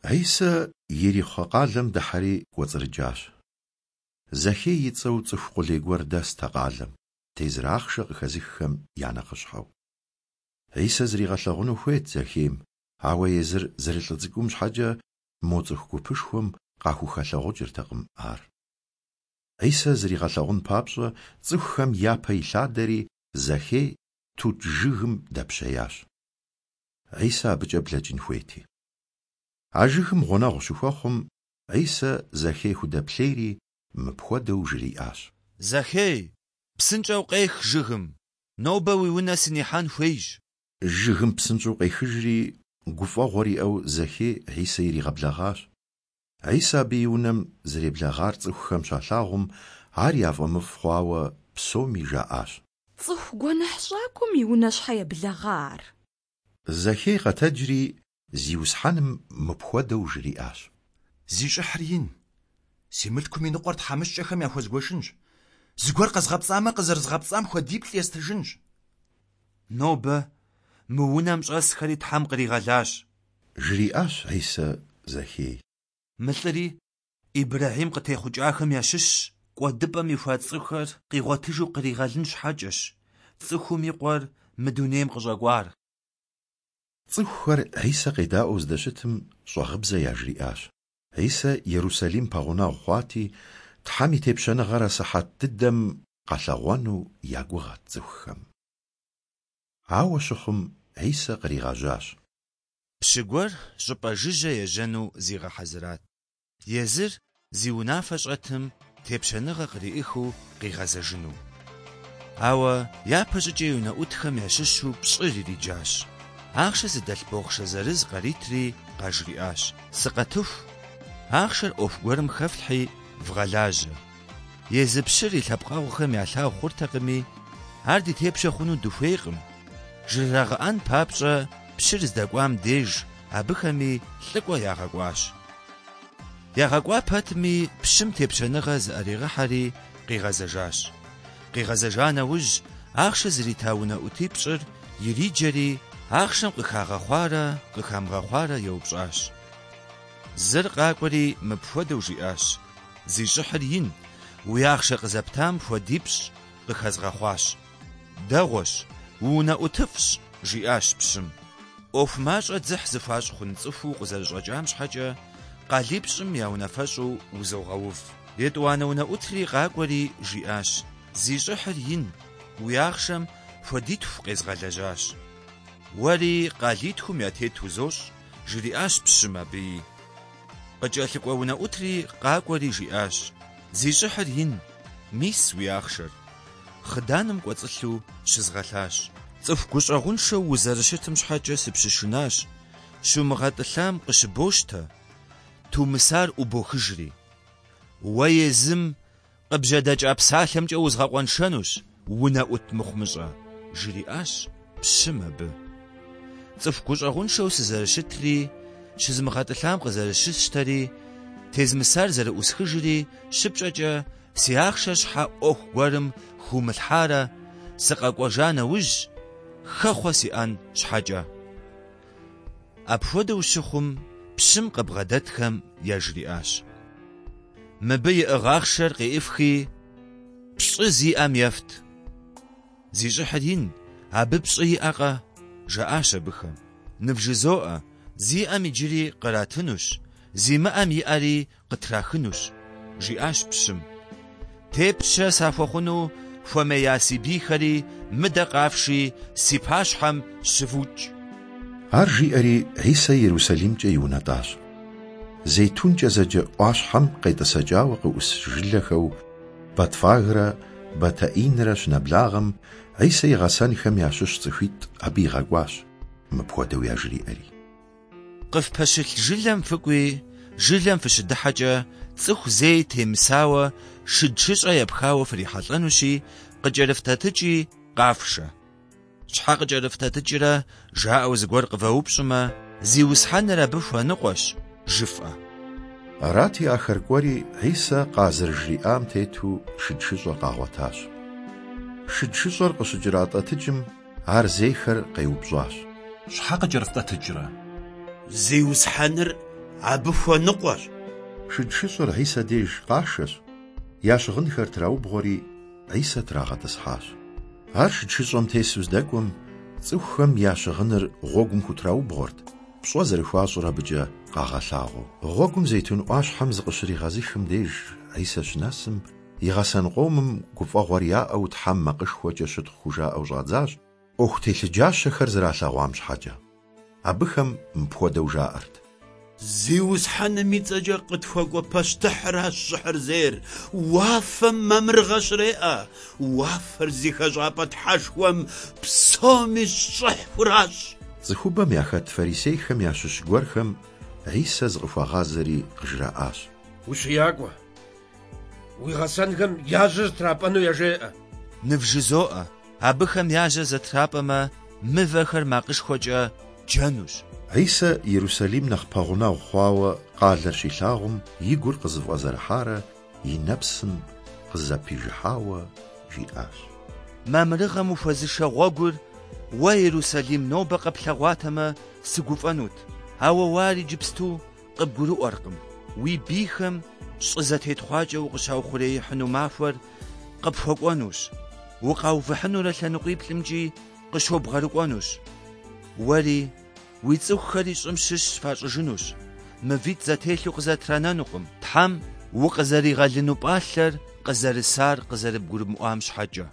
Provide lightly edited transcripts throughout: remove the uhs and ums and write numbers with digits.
Хьисэ Ерихъо къалэм дыхьэри кӏуэцӏрыкӏащ. Закхей и цӏэу цӏыху къулей гуэр дэст а къалэм, тезыр ахъшэ къыхэзыххэм я нэхъыщхьэу. Хьисэ зригъэлъэгъуну хуейт Закхейм, ауэ езыр зэрылӏы цӏыкӏум щхьэкӏэ мо цӏыху гупышхуэм къахухэлъэгъукӏыртэкъым ар. Хьисэ зригъэлъэгъун папщӏэ, цӏыхухэм япэ илъадэри, Закхей тут жыгым дэпщеящ. Хьисэ абыкӏэ блэкӏын хуейти. А жыгым гъунэгъу щыхуэхъум, Хьисэ Закхей худэплъейри, мыпхуэдэу жриӏащ. Закхей, псынщӏэу къех жыгым, нобэ уи унэ сынихьэн хуейщ. Жыгым псынщӏэу къехыжри, гуфӏэгъуэр иӏэу Закхей Хьисэ иригъэблэгъащ. Хьисэ абы и унэм зэреблэгъар цӏыхухэм щалъагъум, ар яфӏэмыфӏ хъуауэ псоми жаӏащ. Цӏыху гуэныхьщӏакӏуэм и унэ щхьэ еблэгъа ар? Закхей къэтэджри, Зиусхьэным мыпхуэдэу жриӏащ. Зи щӏыхьыр ин, си мылъкум и ныкъуэр тхьэмыщкӏэхэм яхуэзгуэшынщ. Зыгуэр къэзгъэпцӏамэ, къызэрызгъэпцӏам хуэдиплӏ естыжынщ. Нобэ мы унэм щӏэсхэри Тхьэм къригъэлащ. Жриӏащ Хьисэ Закхей. Мы лӏыри Ибрэхьим къытехъукӏахэм ящыщщ, кӏуэдыпӏэм ихуа цӏыхухэр къигъуэтыжу къригъэлын щхьэкӏэщ Цӏыхум и Къуэр мы дунейм къыщӏэкӏуар. Цӏыхухэр Хьисэ къедаӏуэу здэщытым, щӏагъыбзэ яжриӏащ. Хьисэ Ерусалим пэгъунэгъу хъуати, Тхьэм и тепщэныгъэр асыхьэт дыдэм къэлъэгъуэну я гугъэт цӏыхухэм. Ауэ щыхъум, Хьисэ къригъэжьащ. Пщы гуэр щӏыпӏэ жыжьэ ежьэну зигъэхьэзырат. Езыр зи унафэ щӏэтым тепщэныгъэ къриӏыхыу къигъэзэжыну. Ауэ япэщӏыкӏэ и унэӏутхэм ящыщу пщӏыр ириджащ. Ахъшэ зыдэлъ бохъшэ зырыз къаритри къажриӏащ, Сыкъэтыху, ахъшэр ӏуэху гуэрым хэфлъхьи, вгъэлажьэ. Езы пщыр и лъэпкъэгъухэм ялъагъу хъуртэкъыми, ар ди тепщэ хъуну дыхуейкъым, жрырагъэӏэн папщӏэ пщыр здэкӏуам деж абыхэми лӏыкӏуэ ягъэкӏуащ. Ягъэкӏуа пэтми, пщым тепщэныгъэ зыӏэригъэхьэри къигъэзэжащ. Къигъэзэжа нэужь, ахъшэ зрита унэӏутипщӏыр ириджэри, ахъшэм къыхагъэхъуарэ къыхамыгъэхъуарэ еупщӏащ. Зыр къакӏуэри мыпхуэдэу жиӏащ, Зи щӏыхьыр ин, уи ахъшэ къызэптам хуэдипщӏ къыхэзгъэхъуащ. Дэгъуэщ, уунэӏутыфӏщ, жиӏащ пщым. ӏуэху мащӏэ дзыхь зыхуащӏ хъун цӏыхуу укъызэрыщӏэкӏам щхьэкӏэ, къалипщӏым я унафэщӏу узогъэув. Етӏуанэ унэӏутри къакӏуэри, жиӏащ, Зи щӏыхьыр ин, уи ахъшэм хуэдитху къезгъэлэжьащ. Уэри къалитхум я тет узощӏ, жриӏащ пщым абыи. Къыкӏэлъыкӏуэ унэӏутри къакӏуэри жиӏащ, Зи щӏыхьыр ин, мис уи ахъшэр. Хъыданым кӏуэцӏылъу щызгъэлъащ. Цӏыху гущӏэгъуншэу узэрыщытым щхьэкӏэ сыпщышынащ, щумыгъэтӏылъам къыщыбощтэ, тумысар ӏубохыжри. Уэ езым къыбжьэдэкӏа псалъэмкӏэ узгъэкъуэншэнущ, унэӏут мыхъумыщӏэ, жриӏащ пщым абы. Цӏыху гущӏэгъуншэу сызэрыщытри, щызмыгъэтӏылъам къызэрыщысщтэри, тезмысар зэрыӏусхыжри щыпщӏэкӏэ си ахъшэр щхьэ ӏуэху гуэрым хыумылъхьарэ, сыкъэкӏуэжа нэужь, хэхъуэ сиӏэн щхьэкӏэ. Апхуэдэу щыхъум, пщым къыбгъэдэтхэм яжриӏащ, Мыбы иӏыгъ ахъшэр къеӏыфхи, пщӏы зиӏэм ефт. Зи щӏыхьыр ин, абы пщӏы иӏэкъэ? жаӏащ абыхэм. Нывжызоӏэ, зиӏэм иджыри къратынущ, зимыӏэм иӏэри къытрахынущ, жиӏащ пщым. Тепщэ сахуэхъуну хуэмея си бийхэри мыдэ къафши, си пащхьэм щывукӏ. Ар жиӏэри, Хьисэ Ерусалимкӏэ иунэтӏащ. Зейтункӏэ зэджэ ӏуащхьэм къетӏысэкӏауэ къыӏус жылэхэу Бэтфагрэ Бэтэӏинрэ щынэблагъэм, Хьисэ и гъэсэнхэм ящыщ цӏыхуитӏ абы игъэкӏуащ, мыпхуэдэу яжриӏэри. Къыфпэщылъ жылэм фыкӏуи, жылэм фыщыдыхьэкӏэ, цӏыху зэи темысауэ, шыд шыщӏэ епхауэ фрихьэлӏэнущи, къыкӏэрыфтӏэтыкӏи къафшэ. Щхьэ къыкӏэрыфтӏэтыкӏрэ жаӏэу зыгуэр къывэупщӏмэ, Зиусхьэныр абы хуэныкъуэщ, жыфӏэ. Арати, ахэр кӏуэри, Хьисэ къазэрыжриӏам тету шыд шыщӏэр къагъуэтащ. Шыд шыщӏэр къыщыкӏэратӏэтыкӏым, ар зейхэр къеупщӏащ. Щхьэ къыкӏэрыфтӏэтыкӏрэ? Зиусхьэныр абы хуэныкъуэщ. Шыд шыщӏэр Хьисэ деж къашэщ, я щыгъынхэр траубгъуэри, Хьисэ трагъэтӏысхьащ. Ар шыд шыщӏэм тесу здэкӏуэм, цӏыхухэм я щыгъыныр гъуэгум хутраубгъуэрт, пщӏэ зэрыхуащӏыр абыкӏэ къагъэлъагъуэу. Гъуэгум Зейтун ӏуащхьэм зыкъыщригъэзыхым деж Хьисэ щынэсым, и гъэсэн къомым гуфӏэгъуэр яӏэу Тхьэм макъышхуэкӏэ щытхъу хужаӏэу щӏадзащ, ӏуэху телъыджащэхэр зэралъэгъуам щхьэкӏэ. Абыхэм мыпхуэдэу жаӏэрт. Зиусхьэным и цӏэкӏэ къытхуэкӏуэ пащтыхьыращ щӏыхьыр зейр, уафэм мамырыгъэ щреӏэ, уафэр зи хэщӏапӏэ Тхьэшхуэм псоми щӏыхь хуращӏ. Цӏыхубэм яхэт фарисейхэм ящыщ гуэрхэм Хьисэ зыкъыхуагъазэри къыжраӏащ. Ущиякӏуэ, уи гъэсэнхэм я жьэр зэтрапӏэну яжеӏэ. Нывжызоӏэ, абыхэм я жьэр зэтрапӏэмэ, мывэхэр макъышхуэкӏэ джэнущ. Хьисэ Ерусалим нэхъ пэгъунэгъу хъуауэ къалэр щилъагъум, и гур къызэфӏэзэрыхьарэ и нэпсым къызэпижыхьауэ жиӏащ. Мамырыгъэм ухуэзышэ гъуэгур уэ, Ерусалим, нобэ къэплъэгъуатэмэ, сыгуфӏэнут, ауэ уэ ар иджыпсту къыбгурыӏуэркъым. Уи бийхэм щӏы зэтетхъуакӏэ укъыщаухъуреихьыну махуэр къыпхуэкӏуэнущ, укъаувыхьынурэ лъэныкъуиплӏымкӏи къыщобгъэрыкӏуэнущ. Уэри уи цӏыхухэри щӏым щыщ фащӏыжынущ, мывитӏ зэтелъу къызэтранэнукъым, Тхьэм укъызэригъэлыну пӏалъэр къызэрысар къызэрыбгурымыӏуам щхьэкӏэ.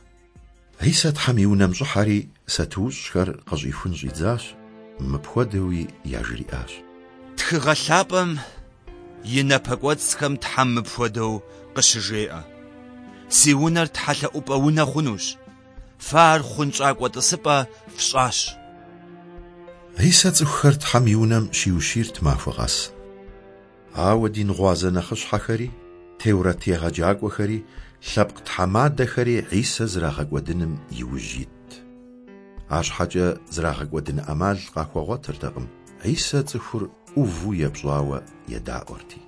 Хьисэ Тхьэм и унэм щӏыхьэри, сатуущӏхэр къыщӏихун щӏидзащ, мыпхуэдэуи яжриӏащ. Тхыгъэ лъапӏэм и напэкӏуэцӏхэм Тхьэм мыпхуэдэу къыщыжеӏэ, Си унэр тхьэлъэӏупӏэ унэ хъунущ, фэ ар хъунщӏакӏуэ тӏысыпӏэ фщӏащ. Хьисэ цӏыхухэр Тхьэм и унэм щиущийрт махуэ къэс. Ауэ дин гъуазэ нэхъыщхьэхэри, теурэт егъэджакӏуэхэри, лъэпкъ тхьэмадэхэри Хьисэ зэрагъэкӏуэдыным и ужь итт. Арщхьэкӏэ зэрагъэкӏуэдын ӏэмал къахуэгъуэтыртэкъым, Хьисэ цӏыхур ӏуву епщӏауэ едаӏуэрти.